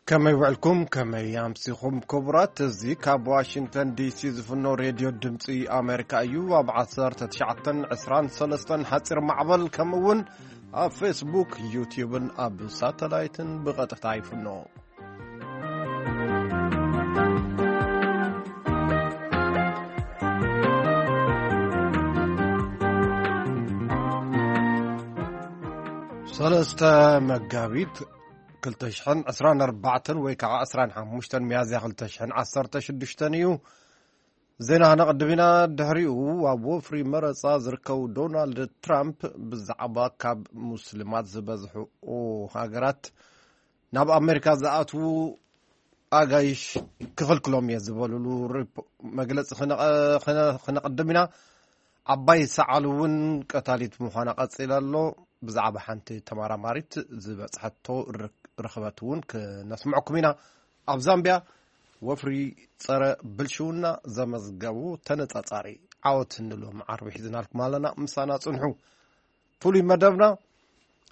ከመይ ውዕልኩም? ከመይ ኣምሲኹም ክቡራት? እዚ ካብ ዋሽንግተን ዲሲ ዝፍኖ ሬድዮ ድምፂ ኣሜሪካ እዩ። ኣብ ዓሰርተ ትሽዓተን ዕስራን ሰለስተን ሓፂር ማዕበል፣ ከምኡ እውን ኣብ ፌስቡክ፣ ዩትዩብን ኣብ ሳተላይትን ብቐጥታ ይፍኖ። ሰለስተ መጋቢት ክልተ ሽሕን ዕስራን ኣርባዕተን ወይ ከዓ ዕስራን ሓሙሽተን ሚያዝያ ክልተ ሽሕን ዓሰርተ ሽዱሽተን እዩ። ዜና ክነቕድም ኢና። ድሕሪኡ ኣብ ወፍሪ መረፃ ዝርከቡ ዶናልድ ትራምፕ ብዛዕባ ካብ ሙስሊማት ዝበዝሑ ሃገራት ናብ ኣሜሪካ ዝኣትዉ ኣጋይሽ ክኽልክሎም እየ ዝበሉሉ ሪፖ-፣ መግለፂ ክነቐ-፣ ክነ-፣ ክነቕድም ኢና። ዓባይ ሰዓል እውን ቀታሊት ምዃና ቀፂላ ኣሎ። ብዛዕባ ሓንቲ ተመራማሪት ዝበፅሐቶ ርክ-፣ ርኽበት እውን ክነስምዐኩም ኢና። ኣብ ዛምቢያ ወፍሪ ጸረ ብልሽውና ዘመዝገቡ ተነጻጻሪ ዓወት ንሎም ዓርቢ ሒዝናልኩም ኣለና። ምሳና ጽንሑ። ፍሉይ መደብና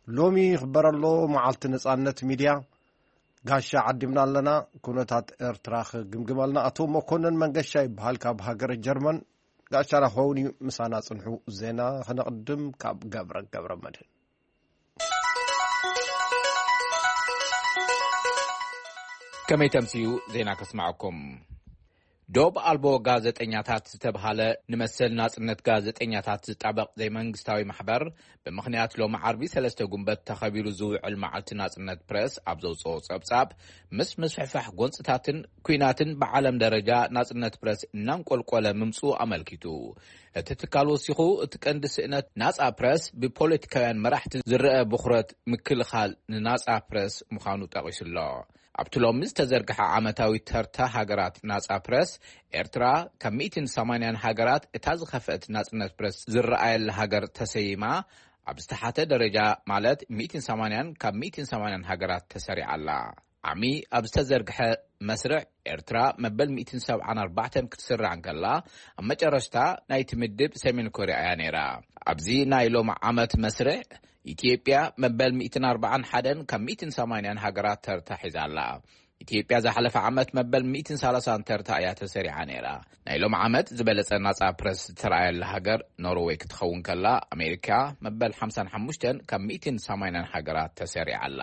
ሎሚ ይኽበር ኣሎ፣ መዓልቲ ነጻነት ሚድያ። ጋሻ ዓዲምና ኣለና። ኩነታት ኤርትራ ክግምግም ኣለና። ኣቶ መኮንን መንገሻ ይበሃል፣ ካብ ሃገረ ጀርመን። ጋሻና ክኸውን እዩ። ምሳና ጽንሑ። ዜና ክነቕድም ካብ ገብረ ገብረ መድህን። ከመይ ተምስዩ ዜና ከስማዐኩም። ዶብ ኣልቦ ጋዜጠኛታት ዝተብሃለ ንመሰል ናጽነት ጋዜጠኛታት ዝጣበቕ ዘይመንግስታዊ ማሕበር፣ ብምኽንያት ሎሚ ዓርቢ ሰለስተ ጉንበት ተኸቢሩ ዝውዕል መዓልቲ ናጽነት ፕረስ ኣብ ዘውጽኦ ጸብጻብ፣ ምስ ምስፍሕፋሕ ጎንጽታትን ኲናትን ብዓለም ደረጃ ናጽነት ፕረስ እናንቆልቆለ ምምጽኡ ኣመልኪቱ። እቲ ትካል ወሲኹ፣ እቲ ቀንዲ ስእነት ናጻ ፕረስ ብፖለቲካውያን መራሕቲ ዝረአ ብኹረት ምክልኻል ንናጻ ፕረስ ምዃኑ ጠቒሱ ኣሎ። ኣብቲ ሎሚ ዝተዘርግሐ ዓመታዊ ተርታ ሃገራት ናጻ ፕረስ፣ ኤርትራ ካብ ሚእትን ሰማንያን ሃገራት እታ ዝኸፍአት ናጽነት ፕረስ ዝረኣየላ ሃገር ተሰይማ፣ ኣብ ዝተሓተ ደረጃ ማለት ሚእትን ሰማንያን ካብ ሚእትን ሰማንያን ሃገራት ተሰሪዓ ኣላ። ዓሚ ኣብ ዝተዘርግሐ መስርዕ፣ ኤርትራ መበል ሚእትን ሰብዓን ኣርባዕተን ክትስራዕ እንከላ፣ ኣብ መጨረሽታ ናይቲ ምድብ ሰሜን ኮርያ እያ ነይራ። ኣብዚ ናይ ሎሚ ዓመት መስርዕ፣ ኢትዮጵያ መበል ሚእትን ኣርባዓን ሓደን ካብ ሚእትን ሰማንያን ሃገራት ተርታ ሒዛ ኣላ። ኢትዮጵያ ዝሓለፈ ዓመት መበል ሚእትን ሰላሳን ተርታ እያ ተሰሪዓ ነይራ። ናይ ሎሚ ዓመት ዝበለጸ ናጻ ፕረስ ዝተረኣየላ ሃገር ኖርዌይ ክትኸውን ከላ፣ ኣሜሪካ መበል ሓምሳን ሓሙሽተን ካብ ሚእትን ሰማንያን ሃገራት ተሰሪዓ ኣላ።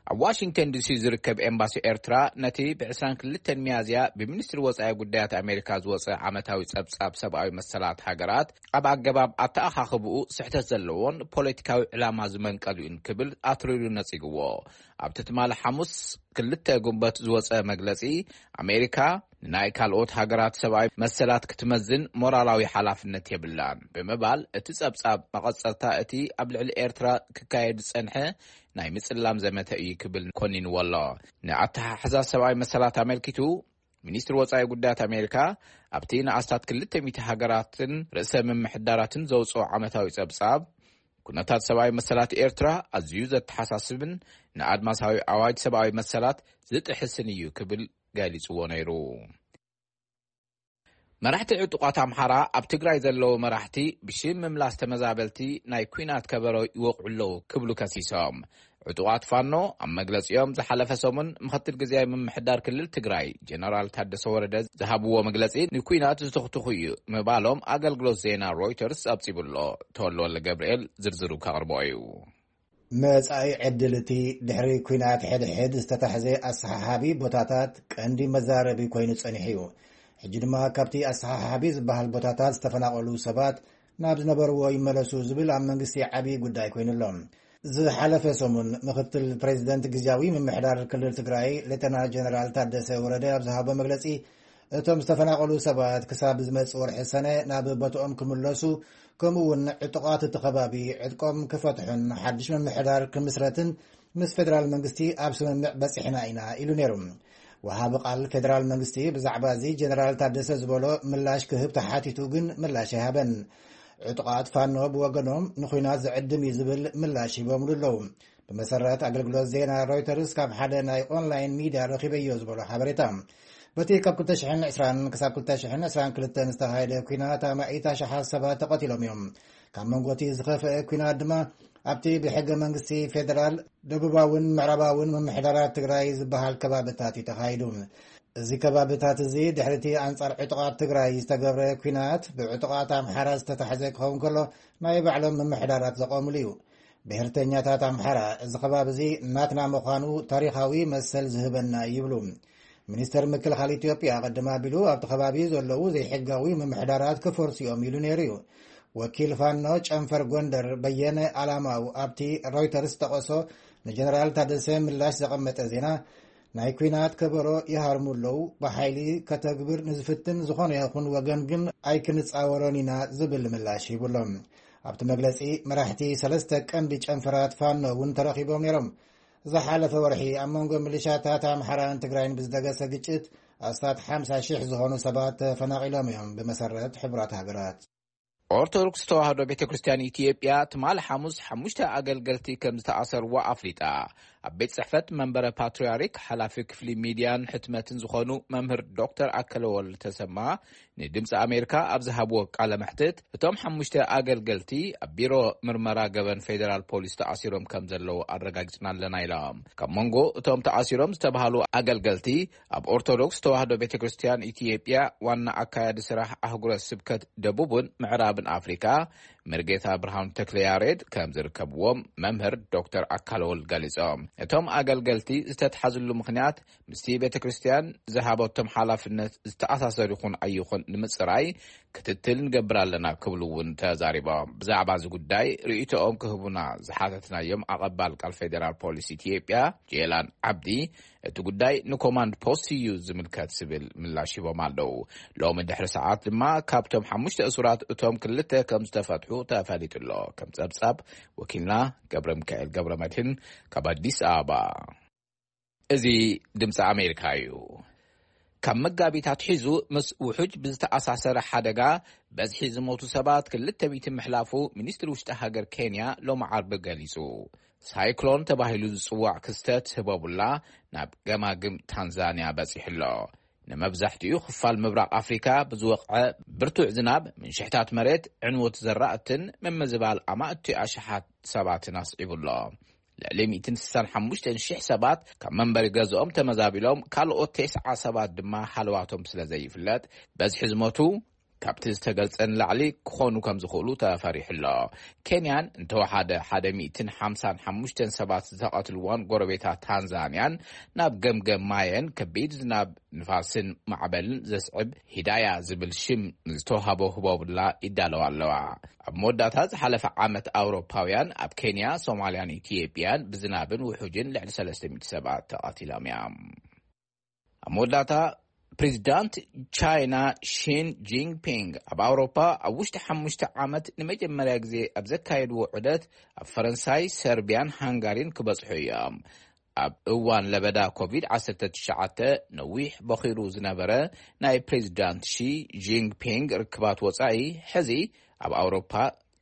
ኣብ ዋሽንግተን ዲሲ ዝርከብ ኤምባሲ ኤርትራ፣ ነቲ ብዕስራን ክልተን ሚያዝያ ብሚኒስትሪ ወጻኢ ጉዳያት ኣሜሪካ ዝወጸ ዓመታዊ ጸብጻብ ሰብኣዊ መሰላት ሃገራት፣ ኣብ ኣገባብ ኣተኣኻኽብኡ ስሕተት ዘለዎን ፖለቲካዊ ዕላማ ዝመንቀሉን ክብል ኣትሪሩ ነጺግዎ። ኣብቲ ትማሊ ሓሙስ ክልተ ጉንበት ዝወጸ መግለጺ፣ ኣሜሪካ ንናይ ካልኦት ሃገራት ሰብኣዊ መሰላት ክትመዝን ሞራላዊ ሓላፍነት የብላን ብምባል፣ እቲ ጸብጻብ መቐጸልታ እቲ ኣብ ልዕሊ ኤርትራ ክካየድ ዝጸንሐ ናይ ምጽላም ዘመተ እዩ ክብል ኮኒንዎ ኣሎ። ንኣተሓሕዛ ሰብኣዊ መሰላት ኣመልኪቱ፣ ሚኒስትሪ ወጻኢ ጉዳያት ኣሜሪካ ኣብቲ ንኣስታት ክልተ ሚእቲ ሃገራትን ርእሰ ምምሕዳራትን ዘውጽኦ ዓመታዊ ጸብጻብ፣ ኩነታት ሰብኣዊ መሰላት ኤርትራ ኣዝዩ ዘተሓሳስብን ንኣድማሳዊ ኣዋጅ ሰብኣዊ መሰላት ዝጥሕስን እዩ ክብል ገሊጽዎ ነይሩ። መራሕቲ ዕጡቓት ኣምሓራ ኣብ ትግራይ ዘለዉ መራሕቲ ብሽም ምምላስ ተመዛበልቲ ናይ ኲናት ከበሮ ይወቕዑ ኣለዉ ክብሉ ከሲሶም። ዕጡቓት ፋኖ ኣብ መግለጺኦም፣ ዝሓለፈ ሰሙን ምኽትል ግዝያዊ ምምሕዳር ክልል ትግራይ ጀነራል ታደሰ ወረደ ዝሃብዎ መግለጺ ንኲናት ዝትኽትኹ እዩ ምባሎም ኣገልግሎት ዜና ሮይተርስ ጸብጺቡ ኣሎ። ተወልደ ወልደ ገብርኤል ዝርዝሩ ከቕርቦ እዩ። መጻኢ ዕድል እቲ ድሕሪ ኲናት ሕድሕድ ዝተታሕዘ ኣሰሓሓቢ ቦታታት ቀንዲ መዛረቢ ኮይኑ ጸኒሑ እዩ። ሕጂ ድማ ካብቲ ኣሰሓሓቢ ዝበሃል ቦታታት ዝተፈናቐሉ ሰባት ናብ ዝነበርዎ ይመለሱ ዝብል ኣብ መንግስቲ ዓብዪ ጉዳይ ኮይኑ ኣሎ። ዝሓለፈ ሰሙን ምኽትል ፕሬዚደንት ግዝያዊ ምምሕዳር ክልል ትግራይ ሌተና ጀነራል ታደሰ ወረደ ኣብ ዝሃቦ መግለጺ፣ እቶም ዝተፈናቐሉ ሰባት ክሳብ ዝመጽእ ወርሒ ሰነ ናብ ቦትኦም ክምለሱ፣ ከምኡ እውን ዕጡቓት እቲ ከባቢ ዕጥቆም ክፈትሑን ሓድሽ ምምሕዳር ክምስረትን ምስ ፌደራል መንግስቲ ኣብ ስምምዕ በጺሕና ኢና ኢሉ ነይሩ። ወሃቢ ቃል ፌደራል መንግስቲ ብዛዕባ እዚ ጀነራል ታደሰ ዝበሎ ምላሽ ክህብ ተሓቲቱ ግን ምላሽ ኣይሃበን። ዕጡቓት ፋኖ ብወገኖም ንኹናት ዝዕድም እዩ ዝብል ምላሽ ሂቦምሉ ኣለዉ። ብመሰረት ኣገልግሎት ዜና ሮይተርስ ካብ ሓደ ናይ ኦንላይን ሚድያ ረኺበዮ ዝበሎ ሓበሬታ፣ በቲ ካብ ክልተ ሽሕን ዕስራን ክሳብ ክልተ ሽሕን ዕስራን ክልተን ዝተኻየደ ኲናት ኣማኢት ኣሽሓት ሰባት ተቐቲሎም እዮም። ካብ መንጎ እቲ ዝኸፍአ ኲናት ድማ ኣብቲ ብሕገ መንግስቲ ፌደራል ደቡባውን ምዕራባውን ምምሕዳራት ትግራይ ዝበሃል ከባብታት እዩ ተኻይዱ። እዚ ከባብታት እዚ ድሕሪ እቲ ኣንጻር ዕጡቓት ትግራይ ዝተገብረ ኲናት ብዕጡቓት ኣምሓራ ዝተታሕዘ ክኸውን ከሎ ናይ ባዕሎም ምምሕዳራት ዘቖምሉ እዩ። ብሄርተኛታት ኣምሓራ እዚ ከባቢ እዚ ናትና ምዃኑ ታሪኻዊ መሰል ዝህበና እዩ ይብሉ። ሚኒስተር ምክልኻል ኢትዮጵያ ቅድም ኣቢሉ ኣብቲ ከባቢ ዘለዉ ዘይሕጋዊ ምምሕዳራት ክፈርሱ እዮም ኢሉ ነይሩ እዩ። ወኪል ፋኖ ጨንፈር ጎንደር በየነ ኣላማው ኣብቲ ሮይተርስ ዝጠቐሶ ንጀነራል ታደሰ ምላሽ ዘቐመጠ ዜና ናይ ኲናት ከበሮ ይሃርሙ ኣለዉ፣ ብሓይሊ ከተግብር ንዝፍትን ዝኾነ ይኹን ወገን ግን ኣይክንጻወሮን ኢና ዝብል ምላሽ ሂቡ ኣሎ። ኣብቲ መግለጺ መራሕቲ ሰለስተ ቀንዲ ጨንፈራት ፋኖ እውን ተረኺቦም ነይሮም። ዝሓለፈ ወርሒ ኣብ መንጎ ሚሊሻታት ኣምሓራን ትግራይን ብዝደገሰ ግጭት ኣስታት ሓምሳ ሽሕ ዝኾኑ ሰባት ተፈናቒሎም እዮም፣ ብመሰረት ሕቡራት ሃገራት። ኦርቶዶክስ ተዋህዶ ቤተ ክርስቲያን ኢትዮጵያ ትማሊ ሓሙስ ሓሙሽተ ኣገልገልቲ ከም ዝተኣሰርዎ ኣፍሊጣ። ኣብ ቤት ጽሕፈት መንበረ ፓትርያርክ ሓላፊ ክፍሊ ሚድያን ሕትመትን ዝኾኑ መምህር ዶክተር ኣከለ ወልድ ተሰማ ንድምፂ ኣሜሪካ ኣብ ዝሃብዎ ቃለ መሕትት፣ እቶም ሓሙሽተ ኣገልገልቲ ኣብ ቢሮ ምርመራ ገበን ፌዴራል ፖሊስ ተኣሲሮም ከም ዘለዉ ኣረጋጊፅና ኣለና ኢሎም። ካብ መንጎ እቶም ተኣሲሮም ዝተባሃሉ ኣገልገልቲ ኣብ ኦርቶዶክስ ተዋህዶ ቤተ ክርስቲያን ኢትዮጵያ ዋና ኣካያዲ ስራሕ ኣህጉረ ስብከት ደቡብን ምዕራብን ኣፍሪካ መርጌታ ብርሃኑ ተክለ ያሬድ ከም ዝርከብዎም መምህር ዶክተር ኣካለ ወልድ ገሊጾም። እቶም ኣገልገልቲ ዝተትሓዝሉ ምኽንያት ምስቲ ቤተ ክርስቲያን ዝሃበቶም ሓላፍነት ዝተኣሳሰር ይኹን ኣይኹን ንምጽራይ ክትትል ንገብር ኣለና ክብሉ እውን ተዛሪቦም። ብዛዕባ እዚ ጉዳይ ርእይቶኦም ክህቡና ዝሓተትናዮም ኣቐባል ቃል ፌዴራል ፖሊስ ኢትዮጵያ ጄላን ዓብዲ፣ እቲ ጉዳይ ንኮማንድ ፖስት እዩ ዝምልከት ዝብል ምላሽ ሂቦም ኣለዉ። ሎሚ ድሕሪ ሰዓት ድማ ካብቶም ሓሙሽተ እሱራት እቶም ክልተ ከም ዝተፈትሑ ተፈሊጡ ኣሎ። ከም ጸብጻብ ወኪልና ገብረ ሚካኤል ገብረ መድህን ካብ ኣዲስ ኣበባ። እዚ ድምፂ ኣሜሪካ እዩ። ካብ መጋቢት ኣትሒዙ ምስ ውሑጅ ብዝተኣሳሰረ ሓደጋ በዝሒ ዝሞቱ ሰባት ክልተ ሚእቲ ምሕላፉ ሚኒስትሪ ውሽጢ ሃገር ኬንያ ሎሚ ዓርቢ ገሊጹ። ሳይክሎን ተባሂሉ ዝጽዋዕ ክስተት ህቦቡላ ናብ ገማግም ታንዛንያ በጺሑ ኣሎ። ንመብዛሕትኡ ክፋል ምብራቕ ኣፍሪካ ብዝወቕዐ ብርቱዕ ዝናብ ምንሽሕታት መሬት፣ ዕንወት ዘራእትን ምምዝባል ኣማእቲ ኣሽሓት ሰባትን ኣስዒቡ ኣሎ። ልዕሊ ሚእትን ስሳን ሓሙሽተን ሽሕ ሰባት ካብ መንበሪ ገዝኦም ተመዛቢሎም፣ ካልኦት ተስዓ ሰባት ድማ ሃለዋቶም ስለ ዘይፍለጥ በዝሒ ዝሞቱ ካብቲ ዝተገልጸ ንላዕሊ ክኾኑ ከም ዝኽእሉ ተፈሪሑ ኣሎ። ኬንያን እንተወሓደ ሓደ ሚእትን ሓምሳን ሓሙሽተን ሰባት ዝተቐትልዎን ጎረቤታ ታንዛንያን ናብ ገምገም ማየን ከቢድ ዝናብ ንፋስን ማዕበልን ዘስዕብ ሂዳያ ዝብል ሽም ዝተዋህቦ ህቦብላ ይዳለዋ ኣለዋ። ኣብ መወዳእታ ዝሓለፈ ዓመት ኣውሮፓውያን ኣብ ኬንያ፣ ሶማልያን ኢትዮጵያን ብዝናብን ውሑጅን ልዕሊ ሰለስተ ሚእቲ ሰባት ተቐቲሎም እዮም። ኣብ መወዳእታ ፕሬዚዳንት ቻይና ሺን ጂንፒንግ ኣብ ኣውሮፓ ኣብ ውሽጢ ሓሙሽተ ዓመት ንመጀመርያ ግዜ ኣብ ዘካየድዎ ዑደት ኣብ ፈረንሳይ፣ ሰርቢያን ሃንጋሪን ክበጽሑ እዮም። ኣብ እዋን ለበዳ ኮቪድ ዓሰርተ ትሽዓተ ነዊሕ በኺሩ ዝነበረ ናይ ፕሬዚዳንት ሺ ጂንፒንግ ርክባት ወጻኢ፣ ሕዚ ኣብ ኣውሮፓ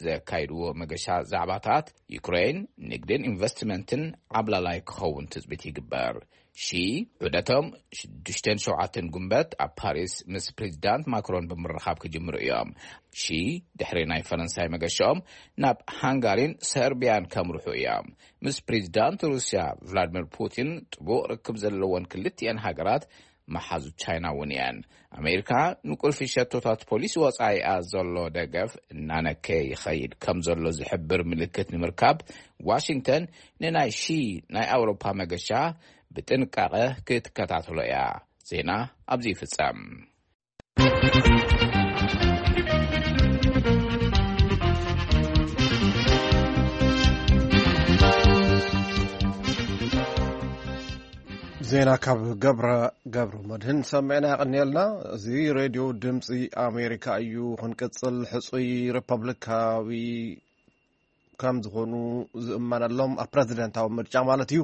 ዘካይድዎ መገሻ ዛዕባታት ዩክሬን፣ ንግድን ኢንቨስትመንትን ዓብላላይ ክኸውን ትጽቢት ይግበር። ሺ ዑደቶም ሽዱሽተን ሸውዓተን ጉንበት ኣብ ፓሪስ ምስ ፕሬዚዳንት ማክሮን ብምርኻብ ክጅምሩ እዮም። ሺ ድሕሪ ናይ ፈረንሳይ መገሻኦም ናብ ሃንጋሪን ሰርቢያን ከምርሑ እዮም። ምስ ፕሬዚዳንት ሩስያ ቭላድሚር ፑቲን ጥቡቕ ርክብ ዘለወን ክልቲኤን ሃገራት መሓዙት ቻይና እውን እየን። ኣሜሪካ ንቁልፊ ሸቶታት ፖሊሲ ወጻኢኣ ዘሎ ደገፍ እናነከየ ይኸይድ ከም ዘሎ ዝሕብር ምልክት ንምርካብ፣ ዋሽንግተን ንናይ ሺ ናይ ኣውሮፓ መገሻ ብጥንቃቐ ክትከታተሎ እያ። ዜና ኣብዚ ይፍጸም። ዜና ካብ ገብረ፣ ገብሩ መድህን ሰሚዕና፣ የቐንየልና። እዚ ሬድዮ ድምፂ ኣሜሪካ እዩ። ክንቅፅል፣ ሕፁይ ሪፐብሊካዊ ከም ዝኾኑ ዝእመነሎም፣ ኣብ ፕረዚደንታዊ ምርጫ ማለት እዩ፣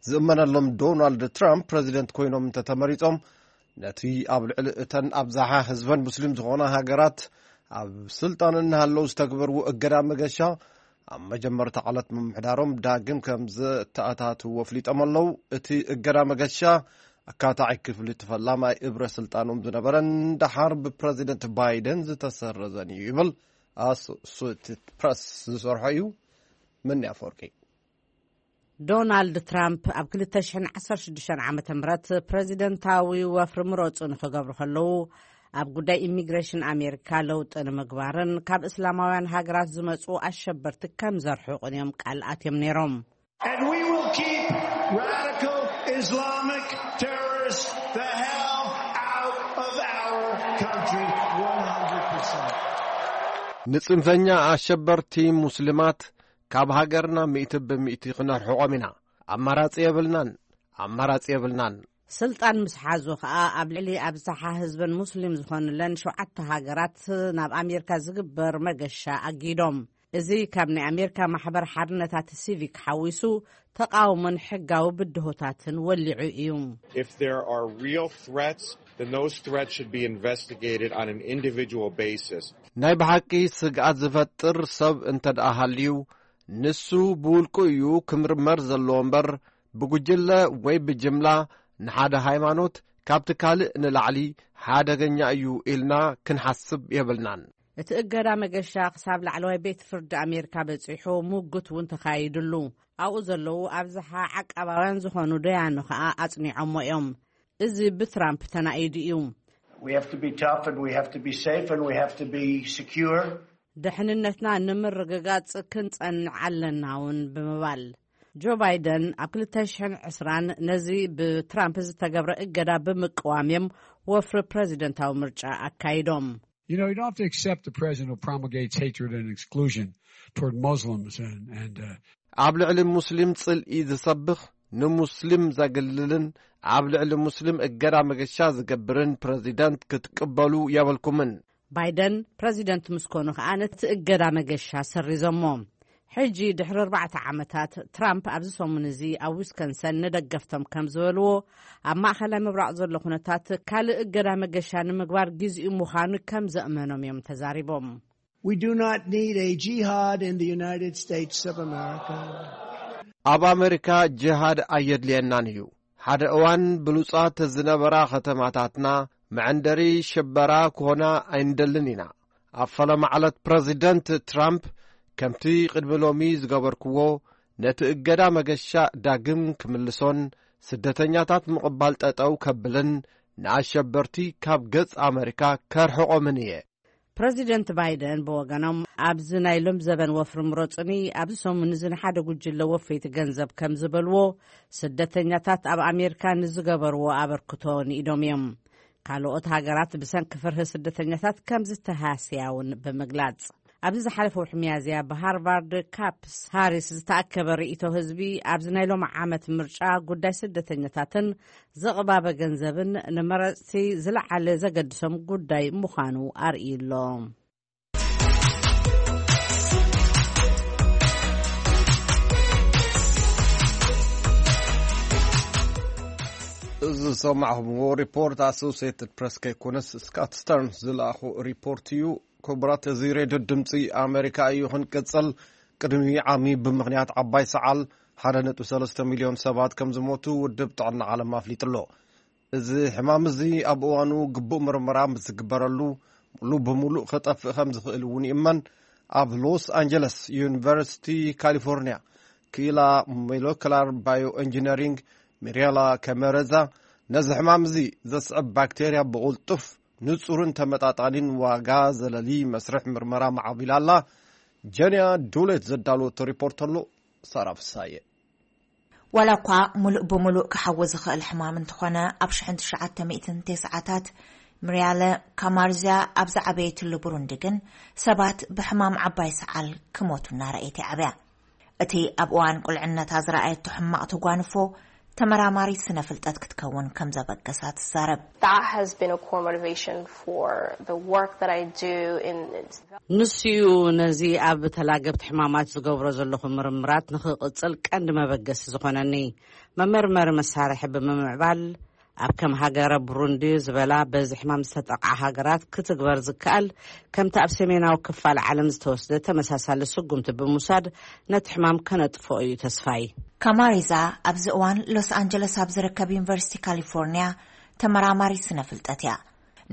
ዝእመነሎም ዶናልድ ትራምፕ ፕረዚደንት ኮይኖም እንተተመሪጾም፣ ነቲ ኣብ ልዕሊ እተን ኣብዝሓ ህዝበን ሙስሊም ዝኾና ሃገራት ኣብ ስልጣን እናሃለዉ ዝተግበርዎ እገዳ መገሻ፣ ኣብ መጀመርታ ዕለት ምምሕዳሮም ዳግም ከም ዘተኣታትዎ ኣፍሊጦም ኣለዉ። እቲ እገዳ መገሻ ኣካታዒ ክፍሊ እቲ ፈላማይ እብረ ስልጣኖም ዝነበረን ደሓር ብፕረዚደንት ባይደን ዝተሰረዘን እዩ ይብል ኣሶሴትድ ፕረስ ዝሰርሖ እዩ። መኒ ኣፈወርቂ። ዶናልድ ትራምፕ ኣብ ክልተ ሽሕን ዓሰርተ ሽዱሽተን ዓመተ ምህረት ፕረዚደንታዊ ወፍሪ ምረጹ ንክገብሩ ከለዉ፣ ኣብ ጉዳይ ኢሚግሬሽን ኣሜሪካ ለውጢ ንምግባርን ካብ እስላማውያን ሃገራት ዝመጹ ኣሸበርቲ ከም ዘርሕቑን እዮም ቃል ኣትዮም ነይሮም። And we will keep radical Islamic terrorists the hell out of our country, one hundred percent. ንጽንፈኛ ኣሸበርቲ ሙስሊማት ካብ ሃገርና ሚእቲ ብምእቲ ክነርሕቖም ኢና። ኣማራጺ የብልናን፣ ኣማራጺ የብልናን። ስልጣን ምስ ሓዙ ከኣ ኣብ ልዕሊ ኣብዝሓ ህዝበን ሙስሊም ዝኾኑለን ሸውዓተ ሃገራት ናብ ኣሜሪካ ዝግበር መገሻ ኣጊዶም። እዚ ካብ ናይ ኣሜሪካ ማሕበር ሓርነታት ሲቪክ ሓዊሱ ተቃውሞን ሕጋዊ ብድሆታትን ወሊዑ እዩ። If there are real threats, then those threats should be investigated on an individual basis. ናይ ብሓቂ ስግኣት ዝፈጥር ሰብ እንተ ደኣ ሃልዩ፣ ንሱ ብውልቁ እዩ ክምርመር ዘለዎ እምበር፣ ብጉጅለ ወይ ብጅምላ ንሓደ ሃይማኖት ካብቲ ካልእ ንላዕሊ ሓደገኛ እዩ ኢልና ክንሓስብ የብልናን። እቲ እገዳ መገሻ ክሳብ ላዕለዋይ ቤት ፍርዲ ኣሜሪካ በጺሑ፣ ምጉት እውን ተኻይድሉ። ኣብኡ ዘለዉ ኣብዝሓ ዓቃባውያን ዝኾኑ ደያኑ ከኣ ኣጽኒዖሞ እዮም። እዚ ብትራምፕ ተናኢዱ እዩ። We have to be tough and we have to be safe and we have to be secure. ድሕንነትና ንምርግጋጽ ክንጸንዕ ኣለና እውን ብምባል፣ ጆ ባይደን ኣብ ክልተ ሽሕን ዕስራን ነዚ ብትራምፕ ዝተገብረ እገዳ ብምቅዋም እዮም ወፍሪ ፕረዚደንታዊ ምርጫ ኣካይዶም። You know, you don't have to accept the president who promulgates hatred and exclusion toward Muslims and, and uh, ኣብ ልዕሊ ሙስሊም ጽልኢ ዝሰብኽ፣ ንሙስሊም ዘግልልን ኣብ ልዕሊ ሙስሊም እገዳ መገሻ ዝገብርን ፕረዚደንት ክትቅበሉ የብልኩምን። ባይደን ፕረዚደንት ምስ ኮኑ ከኣ ነቲ እገዳ መገሻ ሰሪዞሞ። ሕጂ ድሕሪ ኣርባዕተ ዓመታት፣ ትራምፕ ኣብዚ ሰሙን እዚ ኣብ ዊስኮንሰን ንደገፍቶም ከም ዝበልዎ፣ ኣብ ማእኸላይ ምብራቕ ዘሎ ኩነታት ካልእ እገዳ መገሻ ንምግባር ግዜኡ ምዃኑ ከም ዘእመኖም እዮም ተዛሪቦም። We do not need a jihad in the United States of America. ኣብ ኣመሪካ ጅሃድ ኣየድልየናን እዩ። ሓደ እዋን ብሉጻት ዝነበራ ከተማታትና መዐንደሪ ሽበራ ክኾና ኣይንደልን ኢና። ኣብ ፈለማ ዕለት ፕረዚደንት ትራምፕ ከምቲ ቅድሚ ሎሚ ዝገበርክዎ ነቲ እገዳ መገሻ ዳግም ክምልሶን ስደተኛታት ምቕባል ጠጠው ከብልን ንኣሸበርቲ ካብ ገጽ ኣመሪካ ከርሕቖምን እየ። ፕረዚደንት ባይደን ብወገኖም፣ ኣብዚ ናይ ሎም ዘበን ወፍሪ ምረጹኒ፣ ኣብዚ ሰሙን እዚ ንሓደ ጉጅለ ወፈይቲ ገንዘብ ከም ዝበልዎ፣ ስደተኛታት ኣብ ኣሜሪካ ንዝገበርዎ ኣበርክቶ ንኢዶም እዮም። ካልኦት ሃገራት ብሰንኪ ፍርሂ ስደተኛታት ከም ዝተሃስያ እውን ብምግላጽ፣ ኣብዚ ዝሓለፈ ወርሒ ሚያዝያ ብሃርቫርድ ካፕስ ሃሪስ ዝተኣከበ ርእይቶ ህዝቢ፣ ኣብዚ ናይ ሎም ዓመት ምርጫ ጉዳይ ስደተኛታትን ዝቕባበ ገንዘብን ንመረጽቲ ዝለዓለ ዘገድሶም ጉዳይ ምዃኑ ኣርእዩ ኣሎ። እዚ ዝሰማዕኹምዎ ሪፖርት ኣሶሴትድ ፕረስ ከይኮነስ ስካት ስተርንስ ዝለኣኹ ሪፖርት እዩ። ክቡራት፣ እዚ ሬድዮ ድምፂ ኣሜሪካ እዩ። ክንቅፅል፣ ቅድሚ ዓሚ ብምኽንያት ዓባይ ሰዓል ሓደ ነጥቢ ሰለስተ ሚልዮን ሰባት ከም ዝሞቱ ውድብ ጥዕና ዓለም ኣፍሊጡ ኣሎ። እዚ ሕማም እዚ ኣብ እዋኑ ግቡእ ምርመራ ምስ ዝግበረሉ፣ ሙሉእ ብሙሉእ ክጠፍእ ከም ዝኽእል እውን ይእመን። ኣብ ሎስ ኣንጀለስ ዩኒቨርሲቲ ካሊፎርኒያ ክኢላ ሞለኩላር ባዮ ኢንጂነሪንግ ሚሪያላ ከመረዛ፣ ነዚ ሕማም እዚ ዘስዕብ ባክቴርያ ብቕልጡፍ፣ ንጹርን ተመጣጣኒን ዋጋ ዘለሊ መስርሕ ምርመራ ማዕቢላ ኣላ። ጀንያ ዱሌት ዘዳለወቶ ሪፖርት ኣሎ። ሳራ ፍሳየ። ዋላ እኳ ሙሉእ ብሙሉእ ክሓዊ ዝኽእል ሕማም እንተኾነ፣ ኣብ ሽሕን ትሽዓተ ሚእትን ተስዓታት ምርያለ ካማርዝያ ኣብ ዝዓበየትሉ ብሩንዲ ግን ሰባት ብሕማም ዓባይ ሰዓል ክሞቱ እናረኣየት ይዓብያ። እቲ ኣብ እዋን ቁልዕነታ ዝረኣየቶ ሕማቕ ተጓንፎ ተመራማሪት ስነ ፍልጠት ክትከውን ከም ዘበገሳ ትዛረብ። That has been a core motivation for the work that I do in ንሱዩ ነዚ ኣብ ተላገብቲ ሕማማት ዝገብሮ ዘለኹ ምርምራት ንኽቕጽል ቀንዲ መበገሲ ዝኾነኒ። መመርመሪ መሳርሒ ብምምዕባል ኣብ ከም ሃገረ ብሩንዲ ዝበላ በዚ ሕማም ዝተጠቕዓ ሃገራት ክትግበር ዝከኣል፣ ከምቲ ኣብ ሰሜናዊ ክፋል ዓለም ዝተወስደ ተመሳሳሊ ስጉምቲ ብምውሳድ ነቲ ሕማም ከነጥፍኦ እዩ ተስፋይ። ካማሪዛ ኣብዚ እዋን ሎስ ኣንጀለስ ኣብ ዝርከብ ዩኒቨርሲቲ ካሊፎርኒያ ተመራማሪት ስነ ፍልጠት እያ።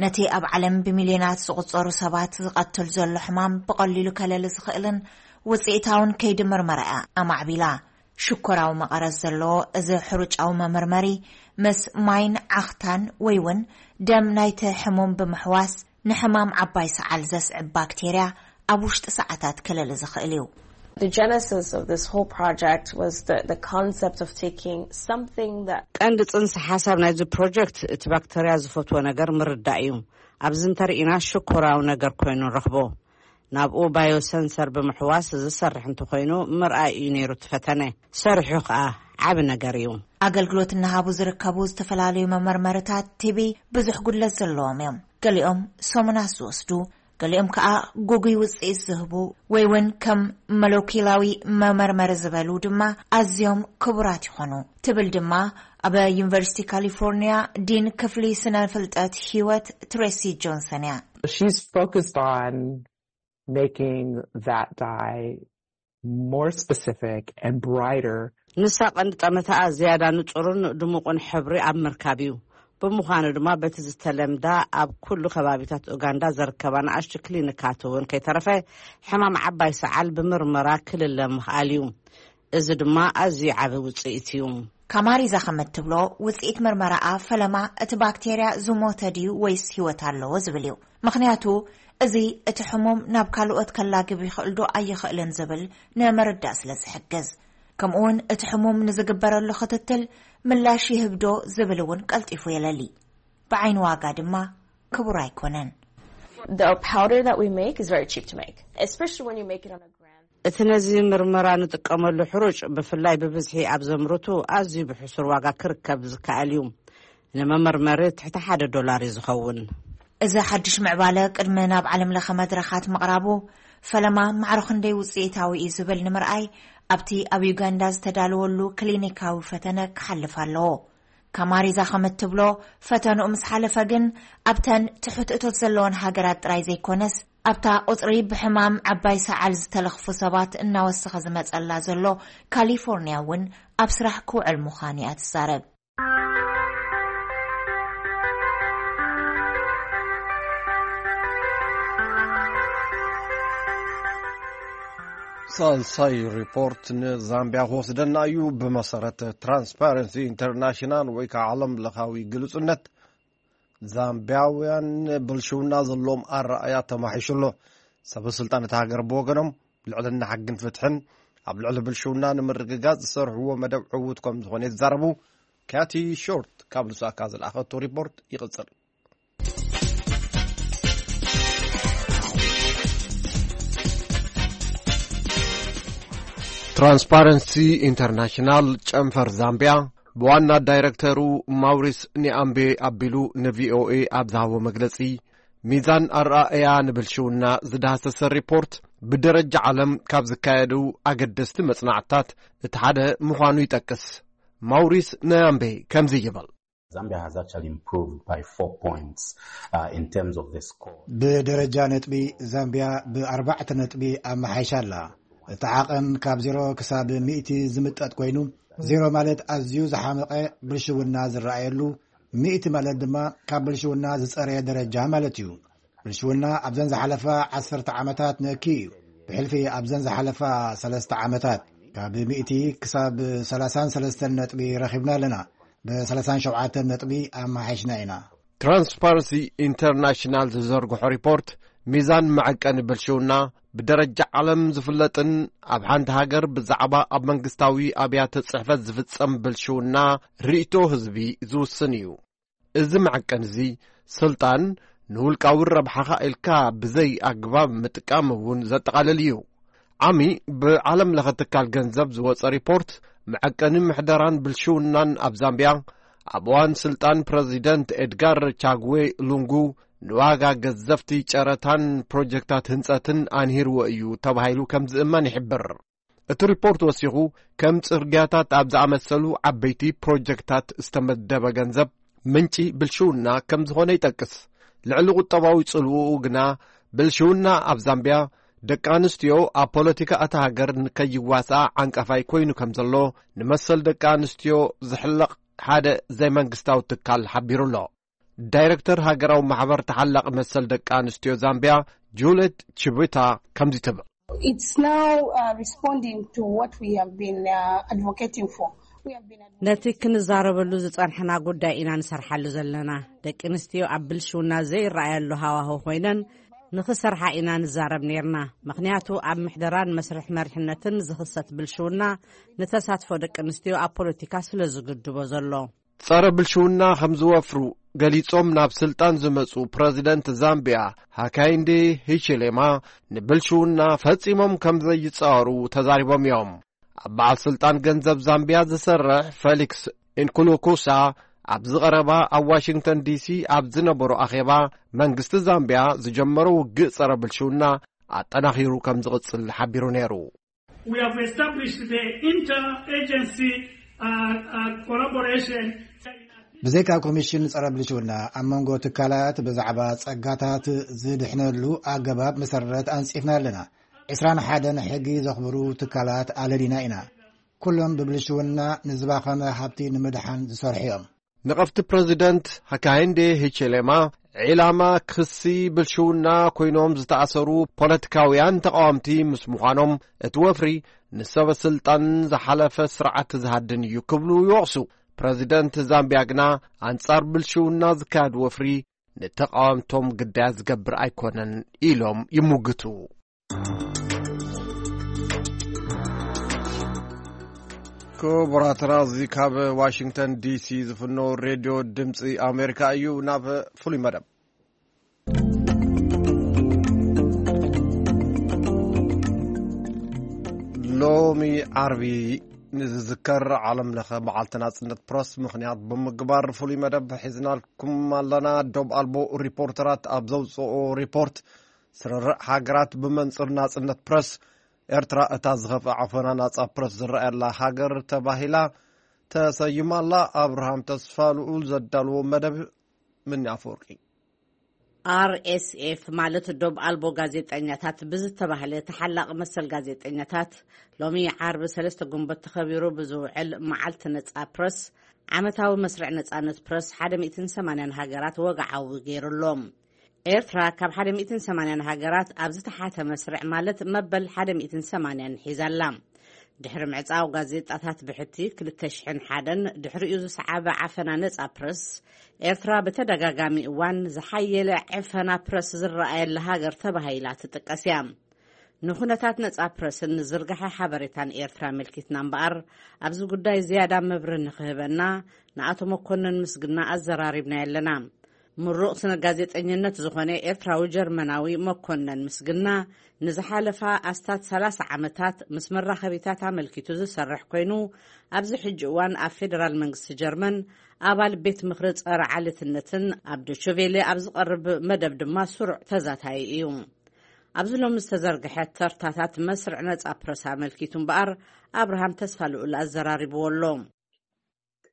ነቲ ኣብ ዓለም ብሚልዮናት ዝቑጸሩ ሰባት ዝቐትል ዘሎ ሕማም ብቐሊሉ ከለሊ ዝኽእልን ውጽኢታውን ከይዲ ምርመራ እያ ኣማዕቢላ። ሽኮራዊ መቐረት ዘለዎ እዚ ሕሩጫዊ መመርመሪ፣ ምስ ማይን ዓኽታን ወይ እውን ደም ናይቲ ሕሙም ብምሕዋስ፣ ንሕማም ዓባይ ሰዓል ዘስዕብ ባክቴርያ ኣብ ውሽጢ ሰዓታት ክልል ዝኽእል እዩ። The genesis of this whole project was the, the concept of taking something that ቀንዲ ጽንሰ ሓሳብ ናይዚ ፕሮጀክት፣ እቲ ባክተርያ ዝፈትዎ ነገር ምርዳእ እዩ። ኣብዚ እንተርኢና ሽኮራዊ ነገር ኮይኑ ንረኽቦ። ናብኡ ባዮሰንሰር ብምሕዋስ ዝሰርሕ እንተኾይኑ ምርኣይ እዩ ነይሩ እቲ ፈተነ። ሰሪሑ ከኣ ዓቢ ነገር እዩ። ኣገልግሎት እናሃቡ ዝርከቡ ዝተፈላለዩ መመርመርታት ቲቢ ብዙሕ ጉድለት ዘለዎም እዮም። ገሊኦም ሰሙናት ዝወስዱ፣ ገሊኦም ከኣ ጉጉይ ውጽኢት ዝህቡ፣ ወይ እውን ከም ሞለኪላዊ መመርመሪ ዝበሉ ድማ ኣዝዮም ክቡራት ይኾኑ፣ ትብል ድማ ኣብ ዩኒቨርሲቲ ካሊፎርኒያ ዲን ክፍሊ ስነ ፍልጠት ህይወት ትሬሲ ጆንሰን እያ። She's focused on making that dye more specific and brighter. ንሳ ቀንዲ ጠመታኣ ዝያዳ ንጹርን ድሙቕን ሕብሪ ኣብ ምርካብ እዩ። ብምዃኑ ድማ በቲ ዝተለምዳ ኣብ ኩሉ ከባቢታት ኡጋንዳ ዘርከባ ንኣሽቱ ክሊኒካት እውን ከይተረፈ ሕማም ዓባይ ሰዓል ብምርመራ ክልለ ምኽኣል እዩ። እዚ ድማ ኣዝዩ ዓቢ ውጽኢት እዩ። ካማሪዛ ከም እትብሎ፣ ውጽኢት ምርመራኣ ፈለማ እቲ ባክቴርያ ዝሞተ ድዩ ወይስ ህይወት ኣለዎ ዝብል እዩ። ምኽንያቱ እዚ እቲ ሕሙም ናብ ካልኦት ከላግብ ይኽእል ዶ ኣይኽእልን ዝብል ንምርዳእ ስለ ዝሕግዝ፣ ከምኡውን እቲ ሕሙም ንዝግበረሉ ክትትል ምላሽ ይህብ ዶ ዝብል እውን ቀልጢፉ የለሊ። ብዓይኒ ዋጋ ድማ ክቡር ኣይኮነን። The powder that we make is very cheap to make, especially when you make it on a grand. እቲ ነዚ ምርመራ ንጥቀመሉ ሕሩጭ ብፍላይ ብብዝሒ ኣብ ዘምርቱ ኣዝዩ ብሕሱር ዋጋ ክርከብ ዝከኣል እዩ። ንመመርመሪ ትሕቲ ሓደ ዶላር እዩ ዝኸውን። እዚ ሓድሽ ምዕባለ ቅድሚ ናብ ዓለም ለኸ መድረኻት ምቕራቡ ፈለማ ማዕሮ ክንደይ ውጽኢታዊ እዩ ዝብል ንምርኣይ ኣብቲ ኣብ ዩጋንዳ ዝተዳለወሉ ክሊኒካዊ ፈተነ ክሓልፍ ኣለዎ። ካማሪዛ ከም እትብሎ፣ ፈተንኡ ምስ ሓለፈ ግን ኣብተን ትሑት እቶት ዘለወን ሃገራት ጥራይ ዘይኮነስ ኣብታ ቁጽሪ ብሕማም ዓባይ ሰዓል ዝተለኽፉ ሰባት እናወሰኸ ዝመጸላ ዘሎ ካሊፎርኒያ እውን ኣብ ስራሕ ክውዕል ምዃኑ እያ ትዛረብ። ሳልሳይ ሪፖርት ንዛምቢያ ክወስደና እዩ። ብመሰረት ትራንስፓረንሲ ኢንተርናሽናል ወይ ከዓ ዓለም ለኻዊ ግልጹነት፣ ዛምቢያውያን ብልሽውና ዘለዎም ኣረኣያ ተማሒሹ ኣሎ። ሰበ ስልጣን እታ ሃገር ብወገኖም፣ ልዕልና ሕግን ፍትሕን ኣብ ልዕሊ ብልሽውና ንምርግጋጽ ዝሰርሕዎ መደብ ዕዉት ከም ዝኾነ ይዛረቡ። ካቲ ሾርት ካብ ሉሳካ ዝለኣኸቶ ሪፖርት ይቕጽል። ትራንስፓረንሲ ኢንተርናሽናል ጨንፈር ዛምቢያ ብዋና ዳይረክተሩ ማውሪስ ኒኣምቤ ኣቢሉ ንቪኦኤ ኣብ ዝሃቦ መግለጺ፣ ሚዛን ኣረኣእያ ንብልሽውና ዝዳህሰሰ ሪፖርት ብደረጃ ዓለም ካብ ዝካየዱ ኣገደስቲ መጽናዕትታት እቲ ሓደ ምዃኑ ይጠቅስ። ማውሪስ ኒኣምቤ ከምዚ ይብል። Zambia has actually improved by four points uh, in terms of the score. ብደረጃ ነጥቢ ዛምቢያ ብኣርባዕተ ነጥቢ ኣመሓይሻ ኣላ። እቲ ዓቐን ካብ ዜሮ ክሳብ ሚእቲ ዝምጠጥ ኮይኑ፣ ዜሮ ማለት ኣዝዩ ዝሓመቐ ብልሽውና ዝረኣየሉ፣ ሚእቲ ማለት ድማ ካብ ብልሽውና ዝጸረየ ደረጃ ማለት እዩ። ብልሽውና ኣብዘን ዝሓለፋ ዓሰርተ ዓመታት ነኪ እዩ። ብሕልፊ ኣብዘን ዝሓለፋ ሰለስተ ዓመታት ካብ ሚእቲ ክሳብ ሰላሳን ሰለስተን ነጥቢ ረኺብና ኣለና። ብ ሰላሳን ሸውዓተን ነጥቢ ኣመሓይሽና ኢና። ትራንስፓረንሲ ኢንተርናሽናል ዝዘርግሖ ሪፖርት ሚዛን መዐቀኒ ብልሽውና ብደረጃ ዓለም ዝፍለጥን ኣብ ሓንቲ ሃገር ብዛዕባ ኣብ መንግስታዊ ኣብያተ ጽሕፈት ዝፍጸም ብልሽውና ርእይቶ ህዝቢ ዝውስን እዩ። እዚ መዐቀኒ እዚ ስልጣን ንውልቃዊ ረብሓኻ ኢልካ ብዘይ ኣግባብ ምጥቃም እውን ዘጠቓልል እዩ። ዓሚ ብዓለም ለኸ ትካል ገንዘብ ዝወጸ ሪፖርት መዐቀኒ ምሕደራን ብልሽውናን ኣብ ዛምቢያ ኣብ እዋን ስልጣን ፕረዚደንት ኤድጋር ቻግዌ ሉንጉ ንዋጋ ገዘፍቲ ጨረታን ፕሮጀክታት ህንጸትን ኣንሂርዎ እዩ ተባሂሉ ከም ዝእመን ይሕብር። እቲ ሪፖርት ወሲኹ፣ ከም ጽርግያታት ኣብ ዝኣመሰሉ ዓበይቲ ፕሮጀክታት ዝተመደበ ገንዘብ ምንጪ ብልሽውና ከም ዝኾነ ይጠቅስ። ልዕሊ ቁጠባዊ ጽልውኡ ግና፣ ብልሽውና ኣብ ዛምቢያ ደቂ ኣንስትዮ ኣብ ፖለቲካ እታ ሃገር ንከይዋስኣ ዓንቀፋይ ኮይኑ ከም ዘሎ፣ ንመሰል ደቂ ኣንስትዮ ዝሕለቕ ሓደ ዘይመንግስታዊ ትካል ሓቢሩ ኣሎ። ዳይረክተር ሃገራዊ ማሕበር ተሓላቒ መሰል ደቂ ኣንስትዮ ዛምቢያ፣ ጁልየት ቺቡታ፣ ከምዚ ትብል። It's now uh, responding to what we have been uh, advocating for. We have been advocating ነቲ ክንዛረበሉ ዝጸንሐና ጉዳይ ኢና ንሰርሓሉ ዘለና። ደቂ ኣንስትዮ ኣብ ብልሽውና ዘይረኣያሉ ሃዋህው ኮይነን ንኽሰርሓ ኢና ንዛረብ ነይርና። ምኽንያቱ ኣብ ምሕደራን መስርሕ መሪሕነትን ዝኽሰት ብልሽውና ንተሳትፎ ደቂ ኣንስትዮ ኣብ ፖለቲካ ስለ ዝግድቦ ዘሎ። ጸረ ብልሽውና ከም ዝወፍሩ ገሊጾም ናብ ስልጣን ዝመጹ ፕረዚደንት ዛምቢያ ሃካይንዴ ሂቺሌማ፣ ንብልሽውና ፈጺሞም ከም ዘይጻወሩ ተዛሪቦም እዮም። ኣብ በዓል ስልጣን ገንዘብ ዛምቢያ ዝሰርሕ ፌሊክስ ኢንኩሉኩሳ፣ ኣብዚ ቀረባ ኣብ ዋሽንግተን ዲሲ ኣብ ዝነበሮ ኣኼባ፣ መንግስቲ ዛምቢያ ዝጀመሮ ውግእ ጸረ ብልሽውና ኣጠናኺሩ ከም ዝቕጽል ሓቢሩ ነይሩ። We have established the interagency uh, uh, collaboration. ብዘይካ ኮሚሽን ጸረ ብልሽውና፣ ኣብ መንጎ ትካላት ብዛዕባ ጸጋታት ዝድሕነሉ ኣገባብ መሰረት ኣንጺፍና ኣለና። ዕስራን ሓደን ሕጊ ዘኽብሩ ትካላት ኣለሊና ኢና። ኩሎም ብብልሽውና ንዝባኸነ ሃብቲ ንምድሓን ዝሰርሑ እዮም። ነቐፍቲ ፕረዚደንት ሃካይንዴ ሂቼሌማ፣ ዒላማ ክሲ ብልሽውና ኮይኖም ዝተኣሰሩ ፖለቲካውያን ተቓወምቲ ምስ ምዃኖም፣ እቲ ወፍሪ ንሰበ ስልጣን ዝሓለፈ ስርዓት ዝሃድን እዩ ክብሉ ይወቕሱ። ፕረዚደንት ዛምቢያ ግና፣ ኣንጻር ብልሽውና ዝካየድ ወፍሪ ንተቓወምቶም ግዳያት ዝገብር ኣይኮነን ኢሎም ይሙግቱ። ክቡራትና፣ እዚ ካብ ዋሽንግተን ዲሲ ዝፍኖ ሬድዮ ድምፂ ኣሜሪካ እዩ። ናብ ፍሉይ መደብ። ሎሚ ዓርቢ ንዝዝከር ዓለም ለኸ መዓልቲ ናጽነት ፕረስ ምኽንያት ብምግባር፣ ፍሉይ መደብ ሒዝናልኩም ኣለና። ዶብ ኣልቦ ሪፖርተራት ኣብ ዘውፅኦ ሪፖርት፣ ስርርዕ ሃገራት ብመንጽር ናጽነት ፕረስ፣ ኤርትራ እታ ዝኸፍአ ዓፈና ናጻ ፕረስ ዝረኣየላ ሃገር ተባሂላ ተሰይማ ኣላ። ኣብርሃም ተስፋ ልኡል ዘዳልዎ መደብ። ምኒ ኣፈወርቂ። ኣር ኤስ ኤፍ ማለት ዶብ ኣልቦ ጋዜጠኛታት ብዝተባህለ ተሓላቒ መሰል ጋዜጠኛታት፣ ሎሚ ዓርቢ ሰለስተ ጉንበት ተኸቢሩ ብዝውዕል መዓልቲ ነጻ ፕረስ፣ ዓመታዊ መስርዕ ነጻነት ፕረስ ሓደ ሚእትን ሰማንያን ሃገራት ወግዓዊ ገይሩ ኣሎ። ኤርትራ ካብ ሓደ ሚእትን ሰማንያን ሃገራት ኣብ ዝተሓተ መስርዕ፣ ማለት መበል ሓደ ሚእትን ሰማንያን ሒዛ ኣላ። ድሕሪ ምዕጻው ጋዜጣታት ብሕቲ ክልተ ሽሕን ሓደን፣ ድሕሪኡ ዝሰዓበ ዓፈና ነጻ ፕረስ፣ ኤርትራ ብተደጋጋሚ እዋን ዝሓየለ ዕፈና ፕረስ ዝረኣየላ ሃገር ተባሂላ ትጥቀስ እያ። ንኹነታት ነጻ ፕረስን ንዝርግሐ ሓበሬታን ኤርትራ ኣመልኪትና እምበኣር፣ ኣብዚ ጉዳይ ዝያዳ መብርህ ንኽህበና ንኣቶ መኮነን ምስግና ኣዘራሪብናዮ ኣለና። ምሩቕ ስነ ጋዜጠኝነት ዝኾነ ኤርትራዊ ጀርመናዊ መኮነን ምስግና፣ ንዝሓለፋ ኣስታት ሰላሳ ዓመታት ምስ መራኸቢታት ኣመልኪቱ ዝሰርሕ ኮይኑ፣ ኣብዚ ሕጂ እዋን ኣብ ፌደራል መንግስቲ ጀርመን ኣባል ቤት ምኽሪ ጸረ ዓሌትነትን ኣብ ዶችቬሌ ኣብ ዝቐርብ መደብ ድማ ስሩዕ ተዛታዪ እዩ። ኣብዚ ሎሚ ዝተዘርግሐ ተርታታት መስርዕ ነጻ ፕረስ ኣመልኪቱ እምበኣር፣ ኣብርሃም ተስፋ ልኡል ኣዘራሪብዎ ኣሎ።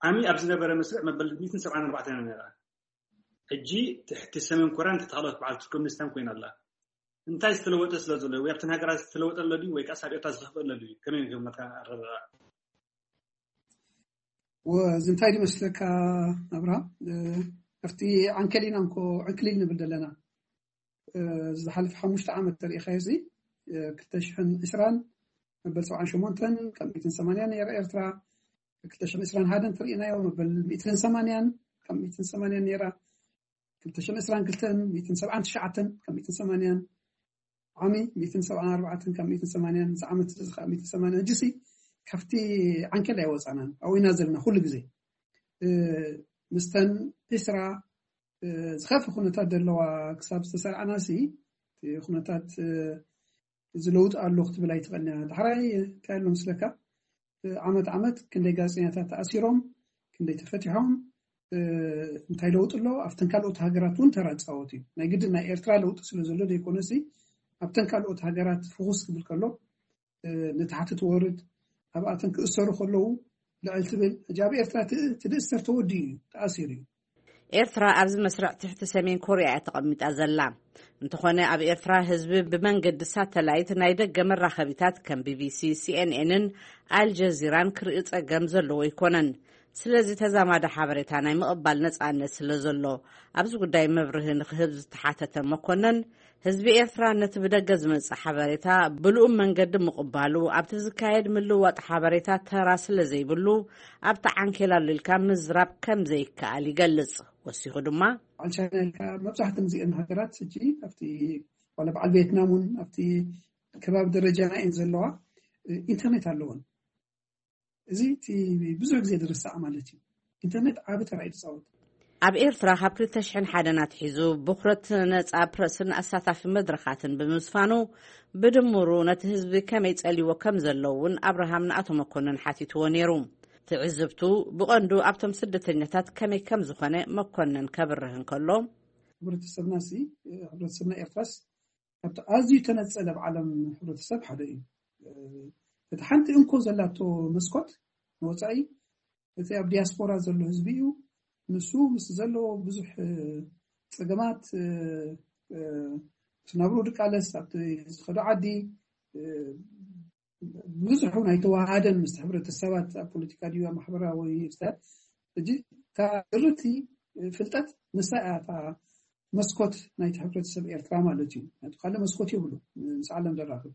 ዓሚ ኣብ ዝነበረ መስርዕ መበል ሚእትን ሰብዓን ኣርባዕተን ነይራ። ሕጂ ትሕቲ ሰሜን ኮርያን ትሕቲ ካልኦት በዓልቲ ኮሚኒስታን ኮይና ኣላ። እንታይ ዝተለወጠ ስለ ዘሎ፣ ወይ ኣብተን ሃገራት ዝተለወጠ ኣሎ ድዩ፣ ወይ ከኣስ ኣብ ኤርትራ ዝኸፍአ ኣሎ ድዩ? ከመይ ገመትካ ኣረዳድኣ? እዚ እንታይ ድመስለካ ኣብርሃ? ኣብቲ ዓንከሊና እንኮ ዕንክሊል ንብል ዘለና። ዝሓለፈ ሓሙሽተ ዓመት ተሪኢኻዮ እዚ ክልተ ሽሕን ዕስራን መበል ሰብዓን ሸሞንተን ካብ ሚእትን ሰማንያን ነይራ ኤርትራ። ክልተ ሽሕን ዕስራን ሓደን ተሪኢናዮ መበል ሚእትን ሰማንያን ካብ ሚእትን ሰማንያን ነይራ። ክልተ ሽሕን ዕስራን ክልተን ሚእትን ሰብዓን ትሽዓተን ካብ ሚእትን ሰማንያን ዓሚ ሚእትን ሰብዓን ኣርባዕተን ካብ ሚእትን ሰማንያን እዚ ዓመት እዚ ከዓ ሚእትን ሰማንያን። ሕጂሲ ካብቲ ዓንኬል ኣይወፃናን ኣብኡ ኢና ዘለና ኩሉ ግዜ። ምስተን ዕስራ ዝኸፍእ ኩነታት ዘለዋ ክሳብ ዝተሰርዓና ሲ ኩነታት እዚ ለውጢ ኣሎ ክትብል ኣይትኽእልን እያ። ዳሕራይ እንታይ ኣሎ ምስለካ ዓመት ዓመት ክንደይ ጋዜጠኛታት ተኣሲሮም ክንደይ ተፈቲሖም እንታይ ለውጢ ኣሎ ኣብተን ካልኦት ሃገራት እውን ተራ ፃወት እዩ። ናይ ግድን ናይ ኤርትራ ለውጢ ስለ ዘሎ ዘይኮነሲ ኣብተን ካልኦት ሃገራት ፍኹስ ክብል ከሎ ንታሕቲ ትወርድ ኣብኣተን ክእሰሩ ከለዉ ልዕል ትብል። ሕጂ ኣብ ኤርትራ ትእስተር ተወዲኡ እዩ ተኣሲሩ እዩ። ኤርትራ ኣብዚ መስርዕ ትሕቲ ሰሜን ኮርያ እያ ተቐሚጣ ዘላ። እንተኾነ ኣብ ኤርትራ ህዝቢ ብመንገዲ ሳተላይት ናይ ደገ መራኸቢታት ከም ቢቢሲ፣ ሲኤንኤንን ኣልጀዚራን ክርኢ ጸገም ዘለዎ ኣይኮነን። ስለዚ ተዛማዲ ሓበሬታ ናይ ምቕባል ነጻነት ስለ ዘሎ፣ ኣብዚ ጉዳይ መብርሂ ንክህብ ዝተሓተተ መኮነን፣ ህዝቢ ኤርትራ ነቲ ብደገ ዝመጽእ ሓበሬታ ብልኡም መንገዲ ምቕባሉ ኣብቲ ዝካየድ ምልውዋጥ ሓበሬታ ተራ ስለ ዘይብሉ፣ ኣብቲ ዓንኬል ኣሉልካ ምዝራብ ከም ዘይከኣል ይገልጽ። ወሲኹ ድማ፣ በዓል ቻይና ኢልካ፣ መብዛሕትን እዚአን ሃገራት ሕጂ ኣብቲ ዋላ በዓል ቬትናም እውን ኣብቲ ከባቢ ደረጃና እየን ዘለዋ፣ ኢንተርኔት ኣለወን። እዚ እቲ ብዙሕ ግዜ ዝርሳዕ ማለት እዩ። ኢንተርኔት ዓቢ ተራ እዩ ዝፃወት። ኣብ ኤርትራ ካብ ክልተ ሽሕን ሓደን ኣትሒዙ ብኩረት ነጻ ፕረስን ኣሳታፊ መድረኻትን ብምስፋኑ፣ ብድምሩ ነቲ ህዝቢ ከመይ ጸልይዎ ከም ዘሎ እውን ኣብርሃም ንኣቶ መኮንን ሓቲትዎ ነይሩ። ትዕዝብቱ ብቐንዱ ኣብቶም ስደተኛታት ከመይ ከም ዝኾነ መኮንን ከብርህ እንከሎ፣ ሕብረተሰብና ሲ፣ ሕብረተሰብና ኤርትራስ ካብቲ ኣዝዩ ተነጸለ ኣብ ዓለም ሕብረተሰብ ሓደ እዩ። እቲ ሓንቲ እንኮ ዘላቶ መስኮት ንወጻኢ፣ እቲ ኣብ ዲያስፖራ ዘሎ ህዝቢ እዩ። ንሱ ምስ ዘለዎ ብዙሕ፣ እ፣ ጸገማት፣ እ፣ እ፣ እቲ ናብርኡ ድቃለስ፣ ኣብቲ ዝኸዶ ዓዲ፣ እ፣ ብዙሕ እውን ኣይተዋሃደን ምስ ሕብረተሰባት፣ ኣብ ፖለቲካ ድዩ፣ ኣብ ማሕበራዊ ህይወት። ሕጂ እታ ድርቲ ፍልጠት ንሳ እያ እታ መስኮት ናይቲ ሕብረተሰብ ኤርትራ ማለት እዩ። ናቱ ካልእ መስኮት የብሉ ምስ ዓለም ዘራኽብ።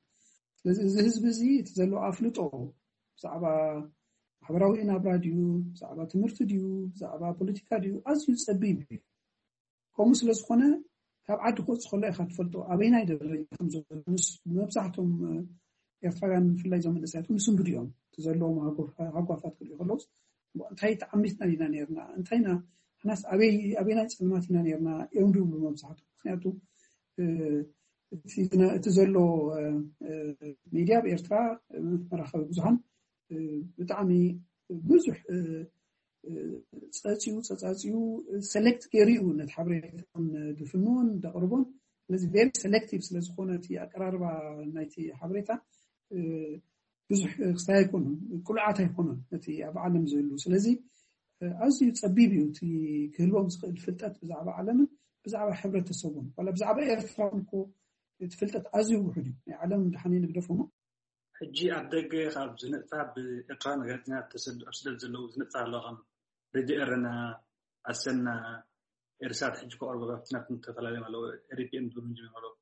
ስለዚ እዚ ህዝቢ እዚ እቲ ዘለዎ ኣፍልጦ ብዛዕባ ማሕበራዊ ናብራ ድዩ፣ ብዛዕባ ትምህርቲ ድዩ፣ ብዛዕባ ፖለቲካ ድዩ፣ ኣዝዩ ጸቢብ እዩ። ከምኡ ስለ ዝኾነ፣ ካብ ዓዲ ክወጽእ ከሎ ኢኻ ትፈልጦ ኣበይናይ ደረጃ ከም ዘሎ። ምስ መብዛሕቶም ኤርትራውያን፣ ብፍላይ እዞም መንእሰያት፣ ምስንብዱ እዮም። እቲ ዘለዎም ሃጓፋ-፣ ሃጓፋት ክሪኡ ከለውስ፣ እንታይ ተዓሚትና ኢና ነርና? እንታይ ኢና፣ ንሕናስ ኣበይ፣ ኣበይናይ ጸልማት ኢና ነርና እዮም ድብሉ መብዛሕትኦም። ምኽንያቱ፣ እ፣ እቲ ዝነ-፣ እቲ ዘሎ፣ እ፣ እ፣ ሚድያ ኣብ ኤርትራ፣ እ፣ መራኸቢ ብዙሃን፣ እ፣ ብጣዕሚ ብዙሕ፣ እ፣ እ፣ ጸጺኡ፣ ጸጻጺኡ፣ ሰሌክት ገይሩ እዩ ነቲ ሓበሬታን ድፍንዎን ደቕርቦን። ስለዚ ቬሪ ሰሌክቲቭ ስለ ዝኾነ እቲ ኣቀራርባ ናይቲ ሓበሬታ፣ እ፣ ብዙሕ ክስታይ ኣይኮኑን፣ ቅሉዓት ኣይኮኑን ነቲ ኣብ ዓለም ዝህሉ። ስለዚ፣ እ፣ ኣዝዩ ጸቢብ እዩ እቲ ክህልዎም ዝኽእል ፍልጠት ብዛዕባ ዓለምን ብዛዕባ ሕብረተሰቡን። ዋላ ብዛዕባ ኤርትራ እውን እኮ እቲ ፍልጠት ኣዝዩ ውሑድ እዩ። ናይ ዓለም ድሓን ንግደፎ እሞ። ሕጂ ኣብ ደገ ካብ ዝነጥፋ ብኤርትራውያን ጋዜጠኛታት ተሰድ-፣ ኣብ ስደት ዘለዉ ዝነጥፋ ኣለዋ፣ ከም ሬድዮ ኤረና፣ ኣሰና፣ ኤርሳት ሕጂ ከቕርቦ ካብቲ ናብቲ ተፈላለዮም ኣለዉ፣ ኤሪፒኤን ዝብሉ ጀሚሮም ኣለዉ።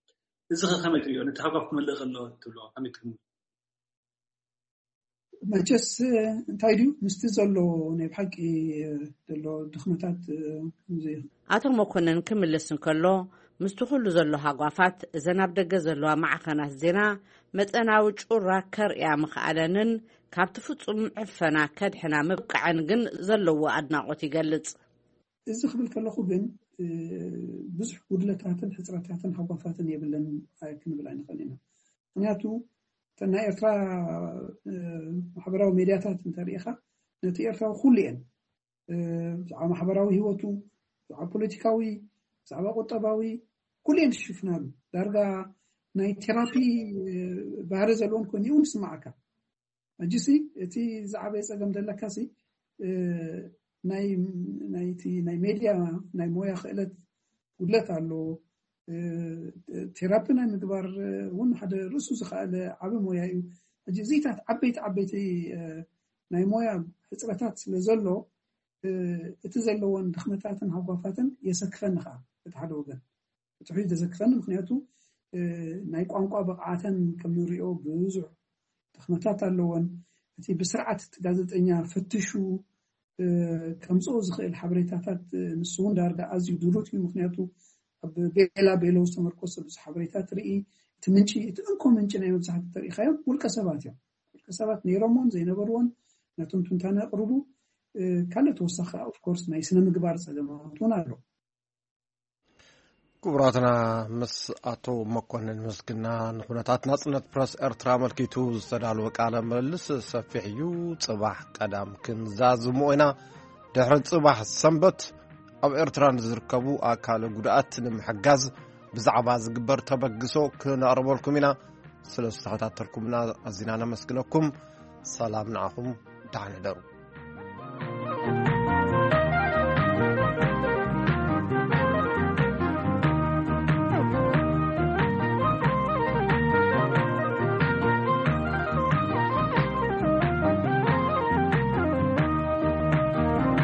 እዚ ኸ ከመይ ትርእዮ? ነቲ ሃጓፍ ክመልእ ከሎ ትብሎ ከመይ ትግምቶ? መቸስ እንታይ ድዩ ምስቲ ዘሎ ናይ ብሓቂ ዘሎ ድኽመታት፣ ከምዚ ኣቶ መኮንን ክምልስ እንከሎ፣ ምስቲ ኩሉ ዘሎ ሃጓፋት፣ እዘን ኣብ ደገ ዘለዋ ማዕኸናት ዜና መጠናዊ ጩራ ከርእያ ምኽኣለንን ካብቲ ፍጹም ዕፈና ከድሕና ምብቃዐን ግን ዘለዎ ኣድናቖት ይገልጽ። እዚ ክብል ከለኹ ግን፣ እ፣ ብዙሕ ጉድለታትን ሕጽረታትን ሃጓፋትን የብለን ኣይ-፣ ክንብል ኣይንኽእል ኢና። ምኽንያቱ፣ እተን ናይ ኤርትራ፣ እ፣ ማሕበራዊ ሜድያታት እንተሪኢኻ፣ ነቲ ኤርትራዊ ኩሉ እየን። እ፣ ብዛዕባ ማሕበራዊ ህይወቱ፣ ብዛዕባ ፖለቲካዊ፣ ብዛዕባ ቁጠባዊ፣ ኩሉ እየን ዝሽፍናሉ። ዳርጋ ናይ ቴራፒ፣ እ፣ ባህሪ ዘለዎን ኮይኑ እውን ይስማዓካ። ሕጂሲ እቲ ዝዓበየ ጸገም ዘለካሲ፣ እ፣ ናይ፣ ናይቲ ናይ ሜድያ ናይ ሞያ ክእለት ጉድለት ኣሎ። እ፣ ቴራፒ ናይ ምግባር እውን ሓደ ርእሱ ዝኸኣለ ዓቢ ሞያ እዩ። ሕጂ እዚታት ዓበይቲ ዓበይቲ፣ እ፣ ናይ ሞያ ሕጽረታት ስለ ዘሎ፣ እ፣ እቲ ዘለወን ድኽመታትን ሃጓፋትን የሰክፈኒ ኸኣ እቲ ሓደ ወገን። ብትሕቲ ዘክፈኒ፣ ምኽንያቱ፣ እ፣ ናይ ቋንቋ ብቕዓተን ከም ንሪኦ ብዙሕ ድኽመታት ኣለወን። እቲ ብስርዓት እቲ ጋዜጠኛ ፈትሹ፣ እ፣ ከምጽኦ ዝኽእል ሓበሬታታት፣ እ፣ ንሱ እውን ዳርጋ ኣዝዩ ድሩት እዩ። ምኽንያቱ ኣብ ቤላ ቤሎ ዝተመርኮሰ ብዙሕ ሓበሬታ ትርኢ። እቲ ምንጪ፣ እቲ እንኮ ምንጪ ናይ መብዛሕትኡ ተሪኢኻዮም ውልቀ ሰባት እዮም። ውልቀ ሰባት ነይሮምዎን ዘይነበርዎን ነቶም ትንታነ የቕርቡ። እ፣ ካልእ ተወሳኺ፣ ኦፍ ኮርስ፣ ናይ ስነ ምግባር ጸገማት እውን ኣሎ። ክቡራትና፣ ምስ ኣቶ መኮንን ምስግና ንኩነታት ናጽነት ፕረስ ኤርትራ ኣመልኪቱ ዝተዳለወ ቃለ ምልልስ ሰፊሕ እዩ። ጽባሕ ቀዳም ክንዛዝሞ ኢና። ድሕሪ ጽባሕ ሰንበት ኣብ ኤርትራ ንዝርከቡ ኣካለ ጉድኣት ንምሕጋዝ ብዛዕባ ዝግበር ተበግሶ ክነቕርበልኩም ኢና። ስለ ዝተኸታተልኩምና ኣዚና ነመስግነኩም። ሰላም ንዓኹም፣ ደሓን ሕደሩ።